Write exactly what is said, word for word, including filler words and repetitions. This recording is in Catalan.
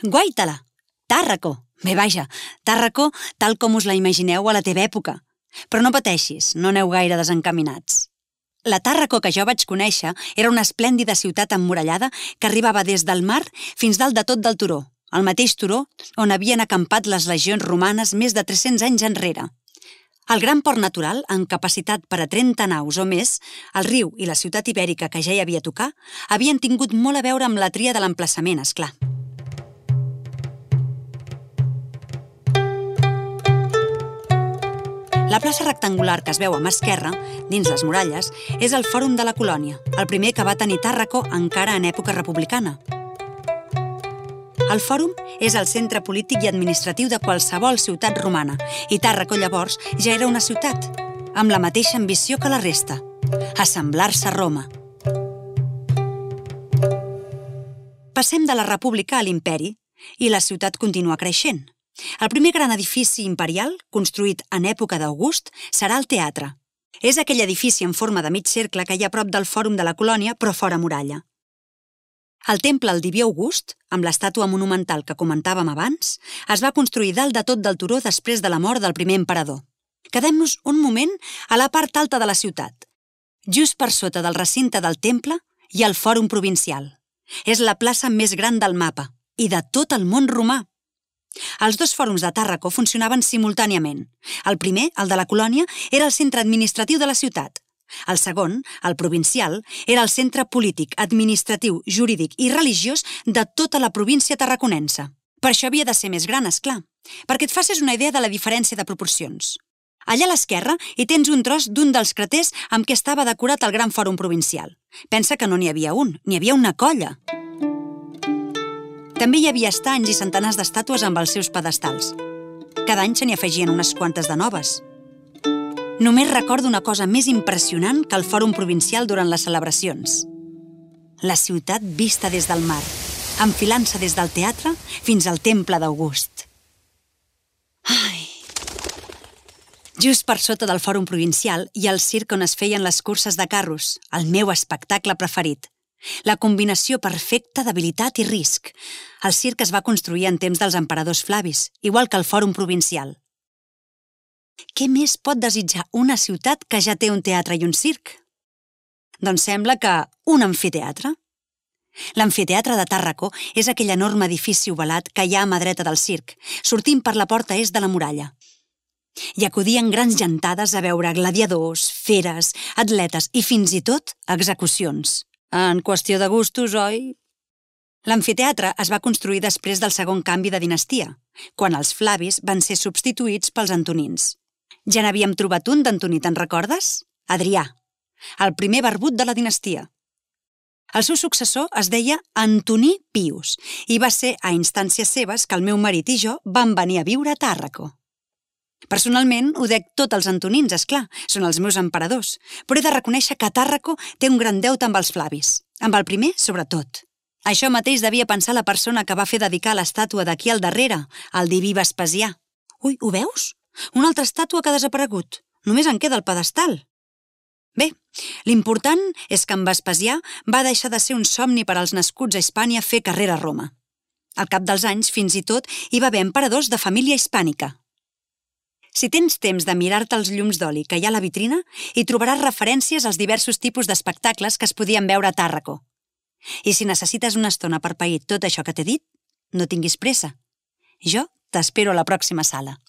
Guaitala! Tàrraco! Bé, vaja, Tàrraco tal com us la imagineu a la teva època. Però no pateixis, no aneu gaire desencaminats. La Tàrraco que jo vaig conèixer era una esplèndida ciutat emmurallada que arribava des del mar fins dalt de tot del turó, el mateix turó on havien acampat les legions romanes més de tres-cents anys enrere. El gran port natural, amb capacitat per a trenta naus o més, el riu i la ciutat ibèrica que ja hi havia a tocar, havien tingut molt a veure amb la tria de l'emplaçament, esclar. La plaça rectangular que es veu a mà esquerra, dins les muralles, és el Fòrum de la Colònia, el primer que va tenir Tàrraco encara en època republicana. El Fòrum és el centre polític i administratiu de qualsevol ciutat romana, i Tàrraco llavors ja era una ciutat, amb la mateixa ambició que la resta, assemblar-se a Roma. Passem de la república a l'imperi i la ciutat continua creixent. El primer gran edifici imperial, construït en època d'August, serà el teatre. És aquell edifici en forma de mig cercle que hi ha a prop del Fòrum de la Colònia, però fora muralla. El temple al Diví August, amb l'estàtua monumental que comentàvem abans, es va construir dalt de tot del turó després de la mort del primer emperador. Quedem-nos un moment a la part alta de la ciutat. Just per sota del recinte del temple hi ha el Fòrum Provincial. És la plaça més gran del mapa i de tot el món romà. Els dos fòrums de Tàrraco funcionaven simultàniament. El primer, el de la Colònia, era el centre administratiu de la ciutat. El segon, el provincial, era el centre polític, administratiu, jurídic i religiós de tota la província tarraconense. Per això havia de ser més gran, esclar, perquè et facis una idea de la diferència de proporcions. Allà a l'esquerra hi tens un tros d'un dels craters amb què estava decorat el gran fòrum provincial. Pensa que no n'hi havia un, n'hi havia una colla. També hi havia estanys i centenars d'estàtues amb els seus pedestals. Cada any se n'hi afegien unes quantes de noves. Només recordo una cosa més impressionant que el Fòrum Provincial durant les celebracions. La ciutat vista des del mar, enfilant-se des del teatre fins al temple d'August. Ai! Just per sota del Fòrum Provincial hi ha el circ on es feien les curses de carros, el meu espectacle preferit. La combinació perfecta d'habilitat i risc. El circ es va construir en temps dels emperadors Flavis, igual que el Fòrum Provincial. Què més pot desitjar una ciutat que ja té un teatre i un circ? Doncs sembla que un amfiteatre. L'amfiteatre de Tàrraco és aquell enorme edifici ovalat que hi ha a mà dreta del circ, sortint per la porta est de la muralla. Hi acudien grans gentades a veure gladiadors, feres, atletes i fins i tot execucions. En qüestió de gustos, oi? L'amfiteatre es va construir després del segon canvi de dinastia, quan els Flavis van ser substituïts pels Antonins. Ja n'havíem trobat un d'Antoní, te'n recordes? Adrià, el primer barbut de la dinastia. El seu successor es deia Antoní Pius i va ser a instàncies seves que el meu marit i jo vam venir a viure a Tàrraco. Personalment, ho dec tot als Antonins, esclar, són els meus emperadors, però he de reconèixer que Tàrraco té un gran deute amb els Flavis, amb el primer, sobretot. Això mateix devia pensar la persona que va fer dedicar l'estàtua d'aquí al darrere, el diví Vespasià. Ui, ho veus? Una altra estàtua que ha desaparegut. Només en queda el pedestal. Bé, l'important és que en Vespasià va deixar de ser un somni per als nascuts a Hispània fer carrera a Roma. Al cap dels anys, fins i tot, hi va haver emperadors de família hispànica. Si tens temps de mirar-te els llums d'oli que hi ha a la vitrina, hi trobaràs referències als diversos tipus d'espectacles que es podien veure a Tàrraco. I si necessites una estona per pair tot això que t'he dit, no tinguis pressa. Jo t'espero a la pròxima sala.